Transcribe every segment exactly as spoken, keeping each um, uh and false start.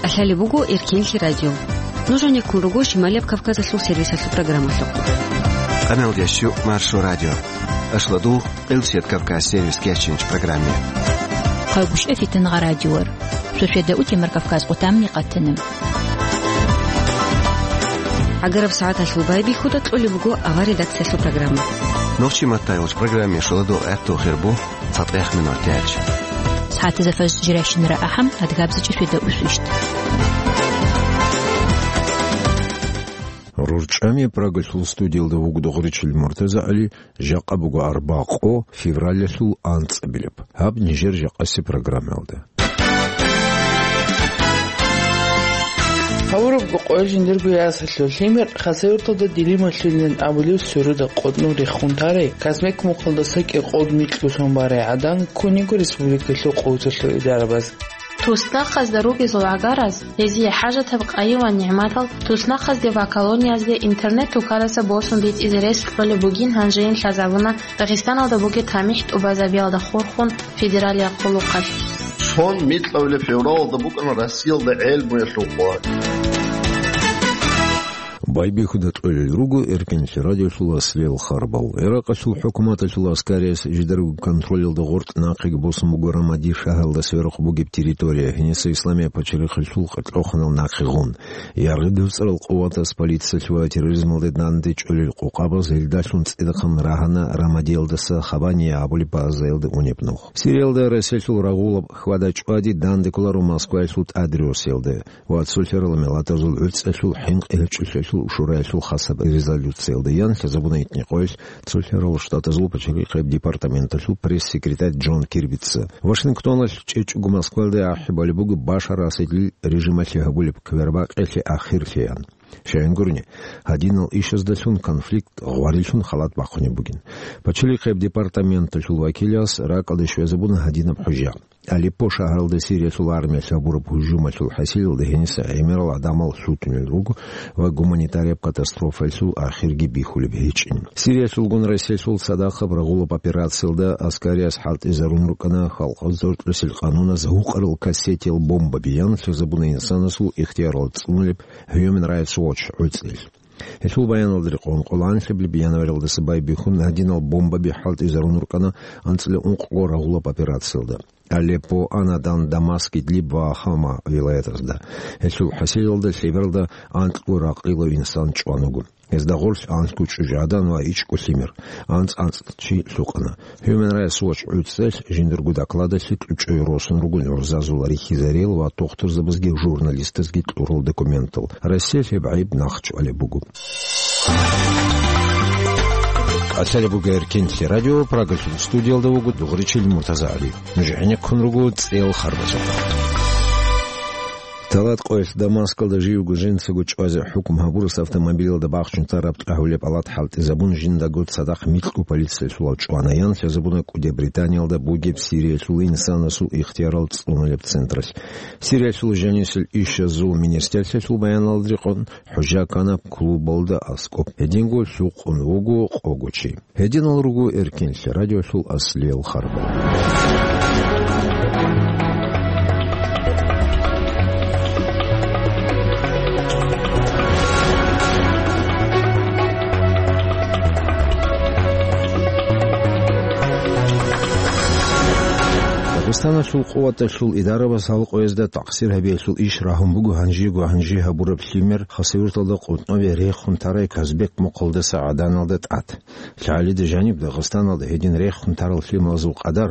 КӀалъалеб буго Эркенлъи радио. Нуж гьанеккун руго Шималияб Кавказалъул сервисалъул программалъухъ. Къаналдящу Маршо радио. Ашладул Къилсият Кавказ сервис кечинч программе. Хъалгушев Фитнагъа радиор. Суседа Утемар Кавказ къутамни къатана. ГӀагараб сагӀаталъул байбихьуда кьолеб буго авар редакциялъул программа. Нохчи Маттаевич программе шоладо гӀатту хирбу цатӀех минутач. СагӀатазда фажр жирайщинара ахӀам, адгабзичӀи шведа усвищт. РурчӀами Прагалъул студиялда вугода Гъуричил МуртазагӀали. Жакъа буго арбакъо февралалъул анцӀабилеб. Гьаб нижер жакъаси программаялда. Гьавурабго къоялъ жиндирго ясалъул лъимер Хасавюрталда Дилималъулилан абулев сверуда къотӀнув рехун тарай, Казбек мухъалдаса кӀикъоялда микьго сон барай гӀадан ккун йиго республикалъул къуваталъул идарабаз. Туснахъазда ругезул гӀагараз, гьезие хӀажатаб къайи ва нигӀматал туснахъазде ва колониязде интернет-тукараса босун битӀизе рес кьолеб бугин гьанжеян лъазабуна Дагъистаналда бугеб тамихӀ тӀубазабиялда хурхун федералияб хъулухъалъ. Сон микьабилеб февралалда букӀана Россиялда гӀелмуялъул къо. Байбихьуда кьолел руго Эркенлъи радиолъул аслиял харбал. Иракъалъул хӀукуматалъул аскарияс жидерго контролялда гъоркь нахъеги босун буго Рамади шагьаралда сверухъ бугеб территория, гьениса исламияб пачалихъалъул къокълъухъанал нахъегун. Яргъи дуцӀарал къуватас полициялъе ва терроризмалде данде чӀолел къокъабаз гьелдалъун цӀидахъан рагьана Рамадиялдаса Хабания абулеб базаялда унеб нух. Сириялда Россиялъул рагъулаб хьвада-чӀвади данде кколаро Москваялъул тӀадросиялда ва цолъарал миллатазул гӀуцӀалъул хӀинкъи гьечӀолъиялъул шураялъул хасаб резолюциялда, ян лъазабуна итни къоялъ цолъарал штатазул пачалихъияб департаменталъул пресс-секретарь Джон Кирбица. Вашингтоналъ чӀечӀого Москвалда ахӀи балеб буго Башар Асадил режималъе гьабулеб квербакъиялъе ахирлъи, ян. Щайин гурони, гьадинал ишаздалъун конфликт гъварилъун халат бахъунеб бугин. Пачалихъияб департаменталъул вакилас ракӀалде щвезабуна гьадинаб хӀужа. Алеппо шагьаралда Сириялъул армиялъ гьабураб гьужумалъул хӀасилалда гьениса гӀемерал гӀадамал лъутунел руго ва гуманитарияб катастрофаялъул ахирги бихьулеб гьечӀин. Сириялъулгун Россиялъул цадахъаб рагъулаб операциялда аскарияб хӀалтӀизарун рукӀана халкъ зоркьусел къануназ гьукъарал кассетиял бомбаби, ян лъазабуна инсанасул ихтиярал цӀунулеб Human Rights Watch гӀуцӀел. Гьелъул баяналда рекъон, къоло анлъабилеб январалдаса байбихьун гьадинал бомбаби хӀалтӀизарун рукӀана анцӀила ункъго рагъулаб операциялда. Алеппо, Анадан, Дамаск, Идлиб ва Хама вилаятазда. Гьелъул хӀасилалда лъебералда анкьго ракъилав инсан чӀван вуго. Гьезда гъорлъ анлъго чӀужугӀадан ва ичӀго лъимер, анцӀ-анцӀ чи лъукъана. Human Rights Watch гӀуцӀел жиндирго докладалъе кьучӀой росун руго гӀурзазул рихьизариял ва тухтурзабазги журналистазги кьурал документал. Россиялъ гьеб гӀайиб нахъчӀвалеб буго. КӀалъалеб буго Эркенлъи радио, Прагалъул студиялда вуго Дугъричил МуртазагӀали. Нуж гӀенеккун руго цӀел харбазухъ. Талат къоялъ Дамаскалда живго жинцаго чӀвазе хӀукму гьабурас автомобилалда бахчун тараб тӀагьулеб алат хӀалтӀизабун жиндаго цадахъ микьго полициялъулал чӀвана, ян лъазабуна КӀуди Британиялда бугеб Сириялъул инсанасул ихтиярал цӀунулеб централъ. Сириялъул жанисел ишазул министрлъиялъул баяналда рекъон, хӀужа ккана клубалда аскӀоб. Гьединго лъукъун вуго къого чи. Гьединал руго Эркенлъи радиолъул аслиял харбал. Дагъистаналъул къуваталъул идарабаз гьал къоязда такъсир гьабиялъул иш рагьун буго гьанжего гьанже гьабураб лъимер Хасавюрталда къотӀнове рехун тарай Казбек мухъалдаса гӀаданалда тӀад. ЛъагӀалида жаниб Дагъистаналда гьедин рехун тарал лъималазул къадар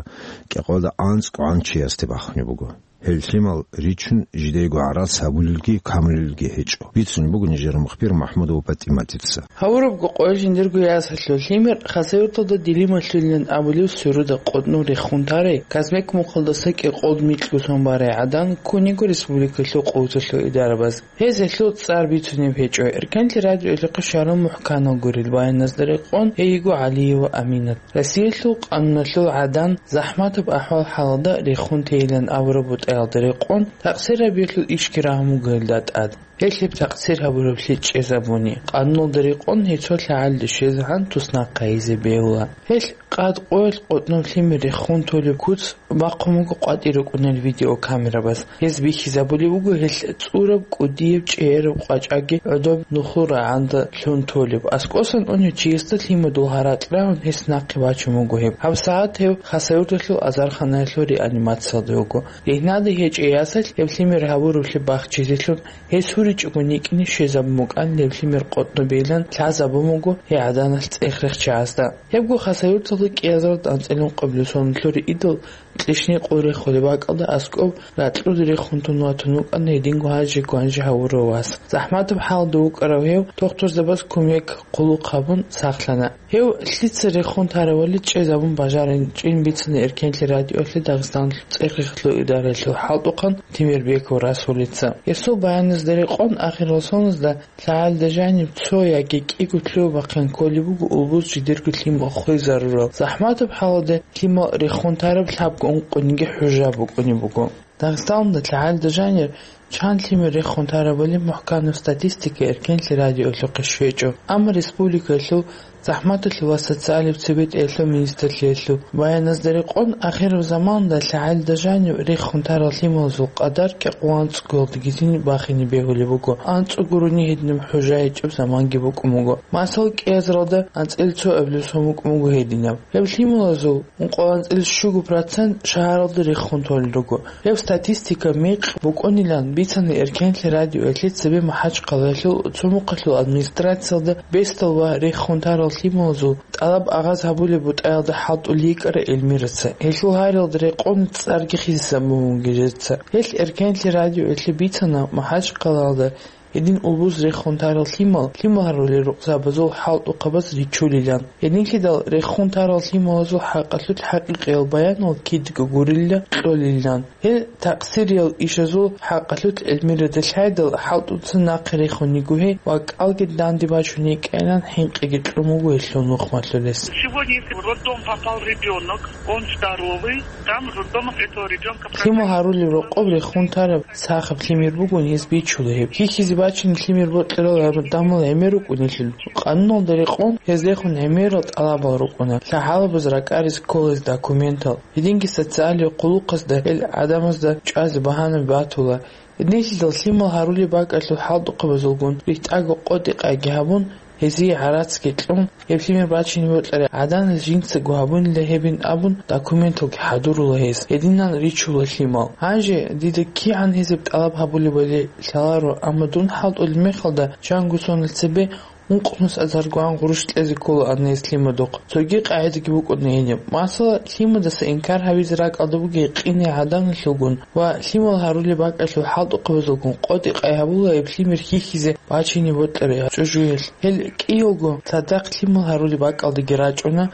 кӀикъоялда анцӀгогӀан чиясде бахунеб буго. Гьел лъимал ричун жидейго гӀарац гьабулелги камулелги гьечӀо. Бицун буго нижер мухбир МахӀмудова ПатӀиматица. Гьавурабго къоялъ жиндирго ясалъул лъимер Хасавюрталда Дилималъулилан абулев сверуда къотӀнув рехун тарай, Казбек мухъалдаса кӀикъоялда микьго сон барай гӀадан ккун йиго республикалъул къуваталъул идарабаз. Гьез гьелъул цӀар бицунеб гьечӀо. Эркенлъи радиоялъухъе щварал мухӀканал гурел баяназда рекъон, гьей йиго ГӀалиева Аминат. Россиялъул къануналъул гӀадан захӀматаб ахӀвал-хӀалалда рехун тейилан абураб бутӀаялда рекъон, такъсир гьабиялъул ишги рагьун буго гьелда тӀад. Гьелъ гьеб такъсир гьабураблъи чӀезабуни, къануналда рекъон гьесул лъагӀалде щвезегӀан туснахъ гьайизе бегьула. Гьелъ къад къоялъ къотӀноб лъимер рехун толеб куц бахъун буго къватӀир рукӀунел видеокамерабаз. Гьез бихьизабулеб буго гьелъ цӀураб, кӀудияб, чӀегӀераб къвачӀаги гӀодоб нухул рагӀанда лъун толеб. АскӀосан унев чиясда лъимадул гьаракь рагӀун гьес нахъе бачун буго гьеб. ГьабсагӀат гьев Хасавюрталъул азарханаялъул реанимациялда вуго. Ригьнаде гьечӀей ясалъ гьеб лъимер гьабураблъи бахчизелъун гьес гьуричӀого никӀине щвезабун букӀанин гьеб лъимер къотӀнобейилан лъазабун буго гьей гӀаданалъ цӀех-рехчагӀазда. Гьебго Хасавюрталда кӀиазаралда анцӀила ункъабилеб соналъул риидал кьишни къо рехулеб бакӀалда аскӀоб ракьулде рехун тун ватун вукӀана гьединго гьанже-гьанже гьавурав вас. ЗахӀматаб хӀалда вукӀарав гьев дохтурзабаз кумек, хъулухъ гьабун сахлъана. Гьев лъица рехун тарабали чӀезабун бажарин чӀин бицана Эркенлъи радиоялъе Дагъистаналъул цӀех-рехалъул идараялъул хӀалтӀухъан Темирбеков Расулица. Гьесул баяназда рекъон, ахирал соналда лъагӀалда жаниб цо яги кӀиго лъугьа-бахъин кколеб буго улбуз жидерго лъимал хвезарурал. ЗахӀматаб хӀалалда лъимал рехун тараб лъабго ункъониги хӀужа букӀунеб буго. Дагъистаналда лъагӀалда жанир чан лъимер рехун тарабали мухӀканаб статистика Эркенлъи радиоялъухъе щвечӀо, амма республикаялъул захӀматалъул ва социалияб цебетӀеялъул министрлъиялъул баяназда рекъон, ахираб заманалда лъагӀалда жанив рехун тарал лъималазул къадар кӀикъоялда анцӀгоялдагицин бахине бегьулеб буго, анцӀго гурони гьединаб хӀужа гьечӀеб заманги букӀун буго. Масала, кӀиазаралда анцӀила цоабилеб сон букӀун буго гьединаб. Гьеб лъималазул ункъоялда анцӀила щуго процент шагьаралда рехун толел руго. Гьеб статистика мекъ букӀунилан бицана Эркенлъи радиоялъе цебе МахӀачхъалаялъул цо мухъалъул администрациялда бесдал ва рехун тарал лъималазул тӀалаб агъаз гьабулеб бутӀаялда хӀалтӀулей йикӀара Эльмираца. Гьелъул гьариялда рекъон цӀарги хисизабун бугеб жеца. Гьелъ Эркенлъи радиоялъе бицана МахӀачхъалаялда гьедин улбуз рехун тарал лъимал, лъимал гьарулел рукъзабазул хӀалтӀухъабаз ричулилан. Гьединлъидал рехун тарал лъималазул хӀакъалъулъ хӀакъикъиял баянал кидго гурилла кьолилан. Гьел такъсириял ишазул хӀакъалъулъ Эльмирада лъайдал хӀалтӀуца нахъе рехун йиго гьей ва кӀалги данде бачун йикӀайилан хӀинкъиги кьун буго гьелъул нухмалъулес. Сегодня, если в роддом попал ребёнок, он здоровый, там в роддомах этого ребёнка... Лъимал гьарулел рокъоб рехун тараб сахаб лъимер бугони гьез бичула гьеб. Хьихьизе бачине лъимер бокьарал гьарун дамал гӀемер рукӀунелъул, къануналда рекъон гьез рехун гӀемерал тӀалабал рукӀуна, лъагӀалабаз ракӀаризе кколез документал, гьединги социалияб хъулухъазда гьел гӀадамазда чӀвазе багьанаби батула. Гьединлъидал лъимал гьарулеб бакӀалъул хӀалтӀухъабазулгун рихтӀаго къотӀи-къайги гьабун, гьезие гӀарацги кьун, гьеб лъимер бачине бокьарай гӀаданас жинцаго гьабунила гьебин абун, документалги хӀадурула гьез. Гьединан ричула лъимал. Гьанже дида кигӀан гьезеб тӀалаб гьабулебали лъаларо, амма дун хӀалтӀулеб мехалда чанго сонал цебе ункънус азаргоан гъурущ кьезе кколаан гьес лъимадухъ. Цоги къагӀидаги букӀуна гьениб. Масала, лъимадаса инкар гьабизе ракӀалда бугей къине гӀаданалъулгун ва лъимал гьарулеб бакӀалъул хӀалтӀухъабазулгун къотӀи-къай гьабула гьеб лъимер хьихьизе бачине бокьарай чӀужуялъ. Гьел кӀиялго цадахъ лъимал гьарулеб бакӀалдаги рачӀуна,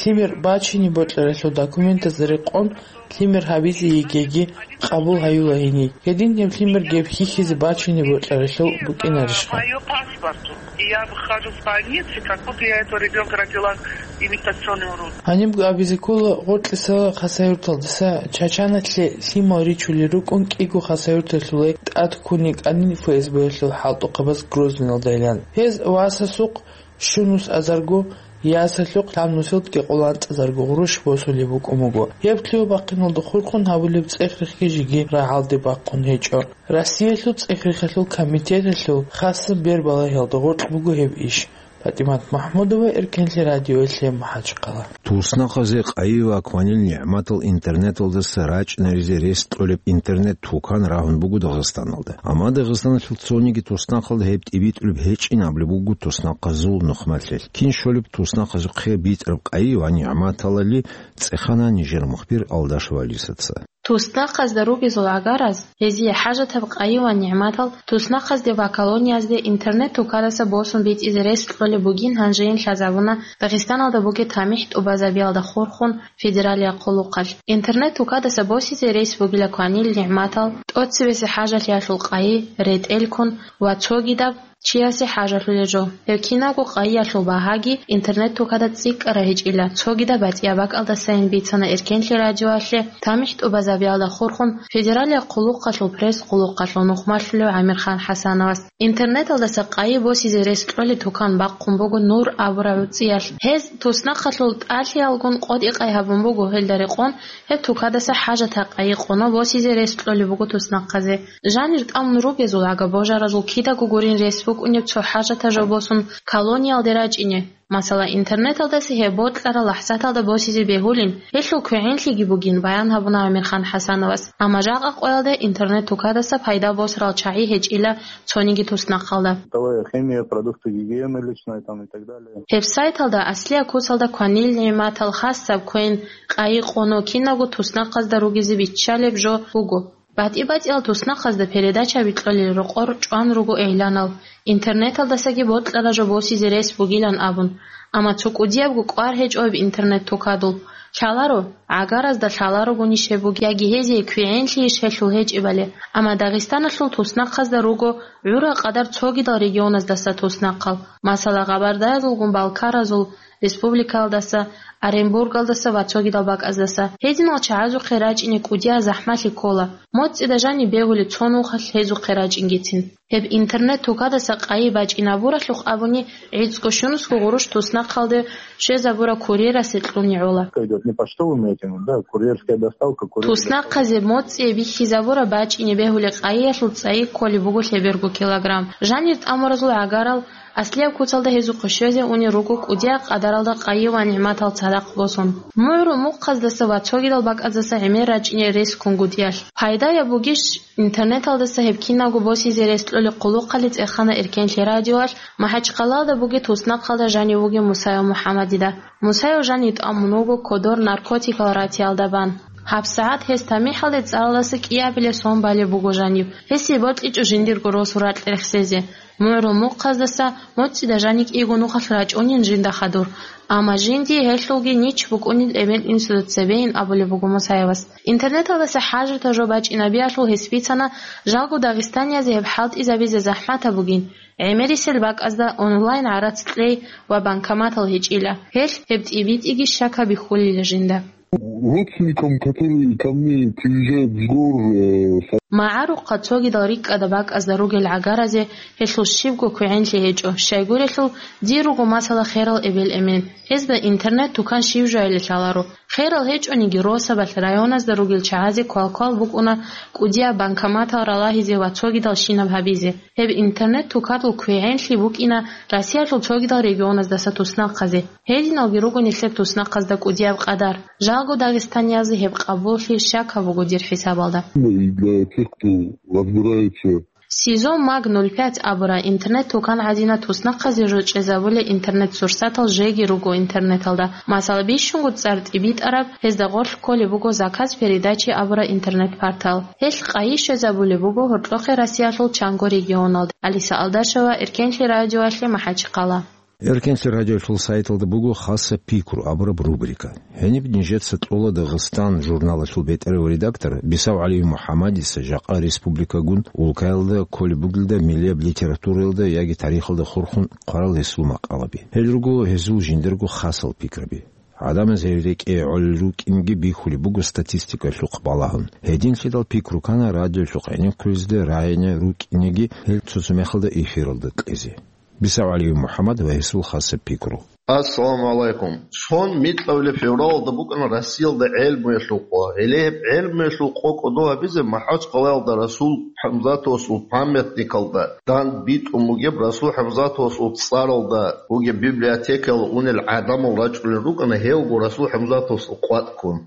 лъимер бачине бокьаралъул документазда рекъон лъимер гьабизе йигеги къабул гьаюла гьениб. Гьедин гьеб лъимер гьеб хьихьизе бачине бокьаралъул букӀинарищха? Моё паспорт. И я выхожу в больнице, как будто я этого ребёнка родила имитационный урод. Гьанибго абизе ккола Гъоркьисала Хасавюрталдаса Чачаналъе лъимал ричулел рукӀун кӀиго Хасавюрталъулай тӀад ккун йикӀанин ФСБ-ялъул хӀалтӀухъабаз Грозныйалдайилан. Гьез васасухъ щунус азарго ясалъухъ лъабнусилдги къоланцӀазарго гъурущ босулеб букӀун буго. Гьеб лъугьа-бахъиналда хурхун гьабулеб цӀех-рехги жеги рагӀалде бахъун гьечӀо. Россиялъул цӀех-рехалъул комитеталъул хасаб бербалагьиялда гъоркь буго гьеб иш. ПатӀимат МахӀмудова, Эркенлъи радиоялъе, МахӀачхъала. Туснахъазе къайи ва кванил нигӀматал интернеталдаса рачӀинаризе рес кьолеб интернет-тукан рагьун буго Дагъистаналда. Амма Дагъистаналъул цониги туснахъалда гьеб тӀибитӀулеб гьечӀин абулеб буго туснахъазул нухмалъе. Кин щолеб туснахъазухъе битӀараб къайи ва нигӀматалали, цӀехана нижер мухбир Алдаш Валисаца. Туснахъазда ругезул гӀагараз, гьезие хӀажатаб къайи ва нигӀматал туснахъазде ва колониязде интернет-тукадаса босун битӀизе рес кьолеб бугин гьанжейин лъазабуна Дагъистаналда бугеб тамихӀ тӀубазабиялда хурхун федералияб хъулухъалъ. Интернет-тукадаса босизе рес бугила кванил нигӀматал, тӀоцебесеб хӀажалъиялъул къайи, ретӀел ккун ва цогидаб чиясе хӀажалъулел жо. Гьеб кинабго къайиялъул багьаги интернет-тукада цӀикӀкӀараб гьечӀила. Цогидаб батӀияб бакӀалдасайин бицана Эркенлъи радиоялъе тамихӀ тӀубазабиялда хурхун федералияб хъулухъалъул пресс-хъулухъалъул нухмалъулев ГӀамирхан ХӀасановас. Интернеталдаса къайи босизе рес кьолеб тукан бахъун буго Нур абураб гӀуцӀиялъ. Гьез туснахъалъул тӀалъиялгун къотӀи-къай гьабун буго, гьелда рекъон гьеб тукадаса хӀажатаб къайи къоно босизе рес кьолеб буго туснахъазе. Жанир тӀамун ругезул агабожаразул кидаго гурин рес букӀунеб цо хӀажатаб жо босун колониялде рачӀине. Масала, интернеталдаса гьеб бокьараб лахӀзаталда босизе бегьулин, гьелъул квегӀенлъиги бугин, баян гьабуна Амирхан ХӀасановас. Амма жакъа къоялда интернет-тукадаса пайда босарал чагӀи гьечӀила цониги туснахъалда. Бытовая химия, продукты гигиены личной там и так далее. Гьеб сайталда аслияб куцалда кванил нигӀматал хасаб квен, къайи къоно кинабго туснахъазда ругезе биччалеб жо буго. БатӀи-батӀиял туснахъазда передачаби кьолел рокъор чӀван руго игӀланал. Интернеталдасаги бокьараб жо босизе рес бугилан абун. Амма цо кӀудиябго кӀвар гьечӀо гьеб интернет-тукадул. Лъаларо, гӀагаразда лъаларогонищ гьеб бугеб, яги гьезие квегӀенлъийищ гьелъул гьечӀебали. Амма Дагъистаналъул туснахъазда руго гӀурал къадар цогидал регионаздаса туснахъал. Масала, Къабардаязулгун Балкаразул республикалдаса, Оренбургалдаса ва цогидал бакӀаздаса. Гьединал чагӀазухъе рачӀине кӀудияб захӀмалъи ккола. МоцӀида жаниб бегьулеб цо нухалъ гьезухъе рачӀингицин. Гьеб интернет-тукадаса къайи бачӀинабуралъухъ абуни, гӀицӀго-щунусго гъурущ туснахъалде щвезабураб курьерасе кьуни гӀола. Идёт не почтовыми этими, да, курьерская доставка, курьер. Туснахъазе моцӀие бихьизабураб бачӀине бегьулеб къайиялъул цӀайи кколеб буго лъеберго килограмм. Жанир тӀамуразул гӀагарал аслияб куцалда гьезухъе щвезе унел руго кӀудияб къадаралда къайи ва нигӀматал цадахъ босун. МугӀрул мухъаздаса ва цогидал бакӀаздаса гӀемер рачӀине рес ккун гудиялъ. Пайдаяб бугищ интернеталдаса гьеб кинабго босизе рес кьолеб хъулухъалде цӀехана Эркенлъи радиоялъ МахӀачхъалаялда бугеб туснахъалда жанив вугев Мусаев МухӀаммадида. Мусаев жанив тӀамун вуго кодор наркотикал ратиялда бан. ГьабсагӀат гьес тамихӀалде цӀаралдаса кӀиабилеб сон балеб буго жанив. Гьесие бокьичӀо жиндирго росу ракь рехсезе. МугӀрул мухъаздаса моцӀида жанив кӀиго нухалъ рачӀунин жинда хадур. Амма жиндие гьелъулги нич букӀунел эмен-инсуда цебейин абулеб буго Мусаевас. Интернеталдаса хӀажатаб жо бачӀинабиялъул гьес бицана, жалго дагъистаниязе гьеб хӀалтӀизабизе захӀматаб бугин, гӀемерисел бакӀазда онлайн гӀарац кьей ва банкоматал гьечӀила. Гьелъ гьеб тӀибитӀиги щакаб бихьулила жинда. Родственникам, которые ко мне приезжают с гор, э, со- МагӀарухъа цогидал рикӀкӀада бакӀазда ругел гӀагаразе гьелъул щибго квегӀенлъи гьечӀо, щайгурелъул дир руго масала херал эбел-эмен. Гьезда интернет-тукан щиб жояли лъаларо. Херал гьечӀониги, росабалъ районазда ругел чагӀазе квалквал букӀуна кӀудияб банкоматал ралагьизе ва цогидал щинаб гьабизе. Гьеб интернет-тукадул квегӀенлъи букӀина Россиялъул цогидал регионаздаса туснахъазе. Гьединалги руго нилъер туснахъазда кӀудияб къадар. Жалго дагъистаниязда гьеб къабуллъи щакаб буго дир хӀисабалда. Для тех, кто разбирается. Сезон Маг нуль пять абураб интернет-тукан гӀадина туснахъазе жо чӀезабулел интернет-сурсатал жеги руго интернеталда. Масала, бищунго цӀар тӀибитӀараб, гьезда гъорлъ кколеб буго «Заказ передачи» абураб интернет-портал. Гьелъ къайи щвезабулеб буго гьоркьохъе Россиялъул чанго регионалде. Алиса Алдашева, Эркенлъи радиоялъе, МахӀачхъала. Эркенлъи радиоялъул сайталда буго «Хасаб пикру» абураб рубрика. Гьениб нижеца кьола «Дагъистан» журналалъул бетӀерав редактор Бисав ГӀалиев МухӀаммадица жакъа республикагун улкаялда кколеб бугелда миллияб литератураялда яги тарихалда хурхун хъварал гьесул макъалаби. Гьел руго гьезул жиндирго хасал пикраби. ГӀадамаз гьел рекӀее гӀолел рукӀинги бихьулеб буго статистикалъухъ балагьун. Гьединлъидал пикру ккана радиолъухъ гӀенеккулезда рагӀине рукӀинеги гьел цо-цо мехалда эфиралда кьезе. Бисав ГӀалиев МухӀаммад ва гьесул хасаб пикру. Ассаламу гӀалайкум. Сон микьабилеб февралалда букӀана Россиялда гӀелмуялъул къо. Гьеле гьеб гӀелмуялъул къо кӀодо гьабизе МахӀачхъалаялда Расул ХӀамзатовасул памятникалда дандбитӀун бугеб, Расул ХӀамзатовасул цӀаралда бугеб библиотекаялда унел гӀадамал рачӀунел рукӀана гьевго Расул ХӀамзатовасул къватӀ ккун.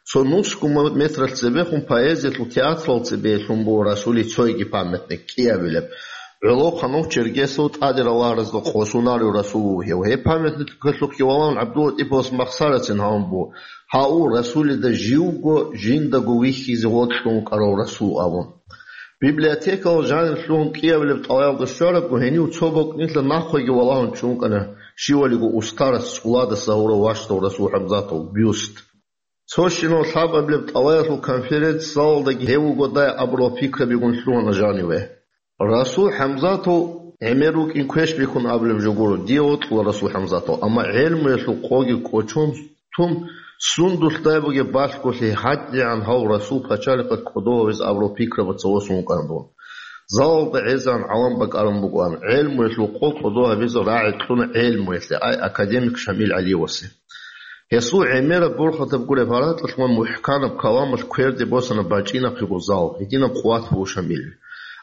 Цо нусго метралъ цебехун поэзиялъул театралда цебе лъун буго Расулил цойги памятник кӀиабилеб. ГӀолохъанав Чергесов тӀаде ралагьаразда къосунарев Расул вугев. Гьеб памятникалъухъе валагьун ГӀабдуллатӀиповас махсарацин гьавун буго: «Гьав Расулида живго жиндаго вихьизе вокьун вукӀарав Расул», – абун. Библиотекалал жанир лъугьун кӀиабилеб тӀалабалда щварабго, гьенив цо бокӀнилъа нахъеги валагьун чӀун кӀана щивалиго устарас цӀуладаса гьурав ващдав Расул ХӀамзатовил бюст. Цо щинав лъабабилеб тӀалабалъул конференц-залалдаги гьев вугодай абурал пикрабигун лъугьана жаниве. Расул ХӀамзатов ГӀемер рукӀин квеш бихьун абулеб жо гуро, дие вокьула Расул ХӀамзатал, амма гӀелмуялъул къоги кӀочон тун, сундулъ дай бугеб балъголъи гьадигӀан гьав Расул пачалихъа кӀодо гьавизе абурал пикрабаца восун вукӀана дун. Залалда гӀезегӀан гӀалам бакӀарун бугоан, гӀелмуялъул къо кӀодо гьабизе рагӀи кьуна гӀелмуялъе, ай, академик Шамил ГӀалиевасе. Гьесул гӀемераб борхатаб гуреб гьаракьалъ ва мухӀканаб каламалъ кверде босана бачӀинахъего зал, гьединаб къуват буго Шамилил.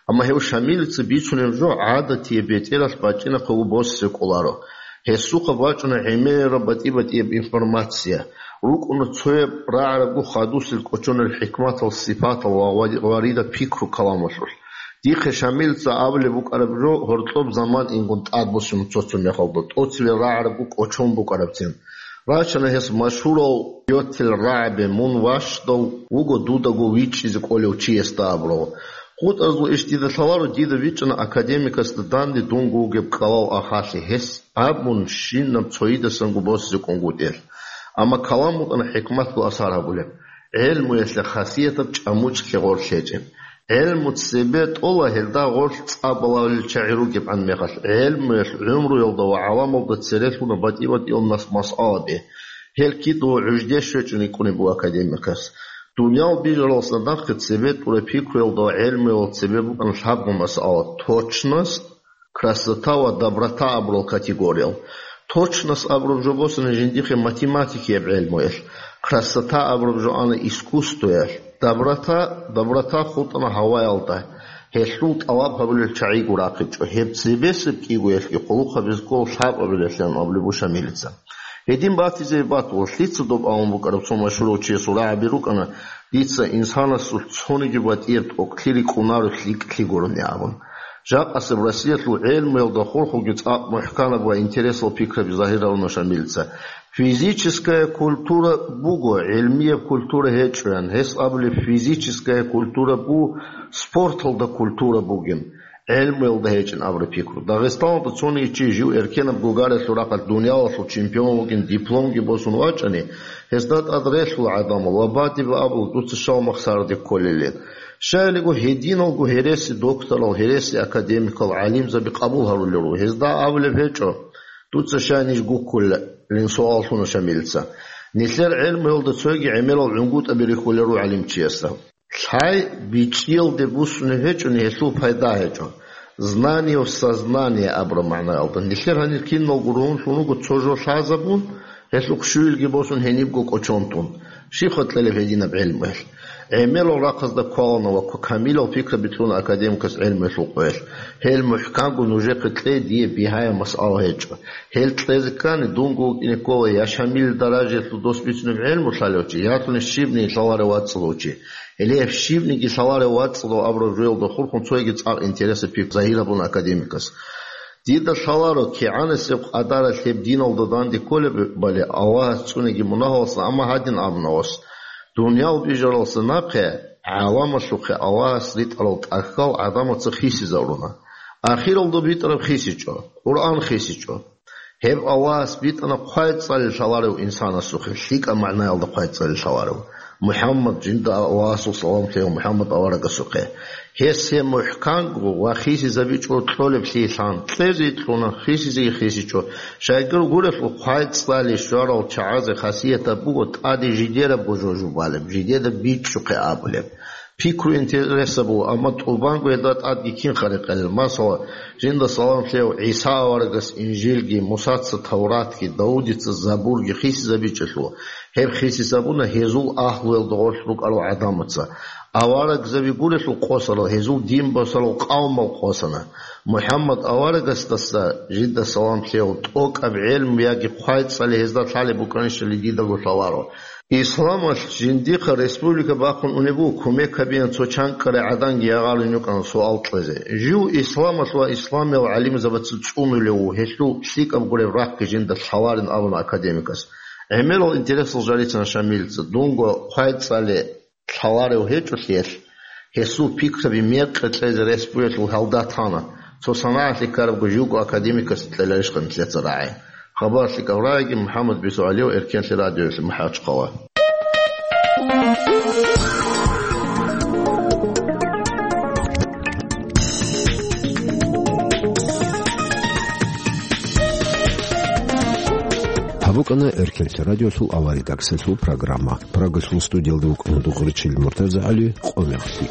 Амма гьев Шамилица бицунеб жо гӀадатияб бетӀералъ бачӀинахъего босизе кӀоларо. Гьесухъа бачӀуна гӀемераб батӀи-батӀияб информация. РукӀуна цояб рагӀарабго хадусел кӀочонел хӀикматал, сипатал ва вари-, варида пикру каламалъулъ. Дихъе Шамилица абулеб букӀараб жо гьоркьоб заман ингун тӀадбуссун цо-цо мехалда, тӀоцеве рагӀарабго кӀочон букӀарабцин. Рачана гьес машгьурал йоцел рагӀаби, мун ващдав вуго дудаго вичӀчӀизе кӀолев чиясда абурав. ХутӀазул иш дида лъаларо, дида вичӀчӀана академикасда данде дунго вугеб кӀалал ахалъи, гьес абун щинаб цоидасанго босизе кӀунгутӀел. Амма калам букӀана хӀикматго асар гьабулеб, гӀелмуялъе хасиятаб чӀамучӀлъи гъорлъ гьечӀеб. ГӀелму цебе тӀола гьелда гъорлъ цӀа балагьулел чагӀи ругебгӀан мехалъ, гӀелмуялъ гӀумруялда ва гӀаламалда церелъуна батӀи-батӀиял нас-, масъалаби. Гьел кидаго гӀужде щвечӀун йикӀунеб буго академикас. Дуниял бижаралдаса нахъе цебе тӀуре пикруялда ва гӀелмуялда цебе букӀана лъабго масъала: точность, красота ва доброта абурал категориял. Точность абураб жо босана жиндихъе математикияб гӀелмуялъ, красота абураб жо ана искусствоялъ, доброта, доброта хутӀана гьаваялда, гьелъул тӀалаб гьабулел чагӀиго рахъичӀо, гьеб цебесеб кӀигоялъги къулухъ гьабизе ккола лъабабилелъан абулеб буго Шамилица. Гьедин батизе батула, лъица доб абун букӀараб цо машгьурав чиясул рагӀаби рукӀана, дица инсанасул цониги батӀияб тӀокӀлъи рикӀкӀунаро лъикӀлъи гурони абун. Жакъасеб Россиялъул гӀелмуялда хурхуги цӀакъ мухӀканаб ва интересал пикраби загьир гьаруна Шамилица. Физическая культура буго, гӀелмияб культура гьечӀоян. Гьес абулеб, физическая культура бу, спорталда культура бугин, гӀелмуялда гьечӀин абураб пикру. Дагъистаналда цониги чи жив эркенаб гугаралъул рахъалъ дуниялалъул чемпион вугин, дипломги босун вачӀани, гьезда тӀад релълъула гӀадамал ва батӀи-батӀи абула, дуца щал махсараде кколелин. Щайилго гьединалго гьереси докторал, гьереси академикал, гӀалимзаби къабул гьарулел руго. Гьезда абулеб гьечӀо, дуца щай ниж гуккулелин, суал лъуна Шамилица. Нилъер гӀелмуялда цойги гӀемерал гӀунгутӀаби рихьулел руго гӀалимчиясда. Лъай бичӀчӀиялде буссунеб гьечӀони, гьелъул пайда гьечӀо. Знание в сознание абураб магӀнаялда. Нилъер гьанир киналго ругьунлъун руго цо жо лъазабун, гьелъухъ щуялги босун гьенибго кӀочон тун. Щибха кьелеб гьединаб гӀелмуялъ? ГӀемерал рахъазда кколана ва к-, камилал пикраби кьуна академикас гӀелмуялъул къоялъ. Гьел мухӀканго нужехъе кье, дие бигьаяб масъала гьечӀо. Гьел кьезе ккани, дунго вукӀине ккола я Шамилил даражаялъул дос бицунеб гӀелму лъалев чи, ятуни щибниги лъаларев вацӀцӀадав чи. Гьеле гьеб щибниги лъаларев вацӀцӀадав абураб жоялда хурхун цойги цӀакъ интересаб пикр загьир гьабуна академикас. Дида лъаларо, кигӀанасеб къадаралъ гьеб диналда данде кколеб бали Аллагьас цӀуниги мунагьалдаса, амма гьадин абуна гъос: дуниял бижаралдаса нахъе гӀаламалъухъе Аллагьас ритӀарал тӀахьал гӀадамаца хисизаруна. Ахиралда битӀараб хисичӀо, Къуръан хисичӀо. Гьеб Аллагьас битӀана хъвай-цӀали лъаларев инсанасухъе, лъикӀаб магӀнаялда хъвай-цӀали лъаларев. МухӀаммад, жинда Аллагьасул салам лъеяв МухӀаммад аварагасухъе. Гьес гьеб мухӀканго ва хисизабичӀого кьолеблъиялъан, кьезе кьуна, хисизеги хисичӀо. Щайгур гурелъул, хъвай-цӀали щварал чагӀазе хасиятаб буго тӀаде жидерабго жо жубалеб, жидеда бичӀчӀухъе абулеб. Пикру интересаб буго, амма тӀубанго гьелда тӀадги кин хъарикъелел. Масала, жинда салам лъеяв ГӀиса аварагас Инжилги, Мусаца Тавратги, Давудица Забурги хисизабичӀелъул, гьеб хисизабуна гьезул агьлуялда гъорлъ рукӀарал гӀадамаца. Аварагзаби гурелъул къосарал, гьезул дин босарал къавмал къосана. МухӀаммад аварагасдаса, жинда салам лъеяв, тӀокӀаб гӀелму яги хъвай-цӀали гьезда лъалеб букӀанищали дидаго лъаларо. Исламалъ жиндихъа республика бахъун унеб буго, кумек гьабеян цо чанкӀкӀарай гӀаданги ягъарин йукӀана суал кьезе. Жив исламалъ ва исламиял гӀалимзабаца цӀунулев вуго, гьелъул лъикӀаб гуреб рахъги жинда лъаларин абуна академикас. ГӀемерал интересал жарицана Шамилица, дунго хъвай-цӀали лъаларев гьечӀолъиялъ, гьесул пикраби мекъи кьезе рес бугелъул гьалда тана, цо санагӀалъи ккарабго живго академикасе кьеларищха нилъеца рагӀи? Хабар лъикӀаб рагӀиги, МухӀаммад Бису ГӀалиев, Эркенлъи радиоялъ, МахӀачхъала. БукӀана Эркенлъи радиолъул авария гаксалъул программа. Прагалъул студиялда вукӀана Дугъричил МуртазагӀали, къо мехлъи.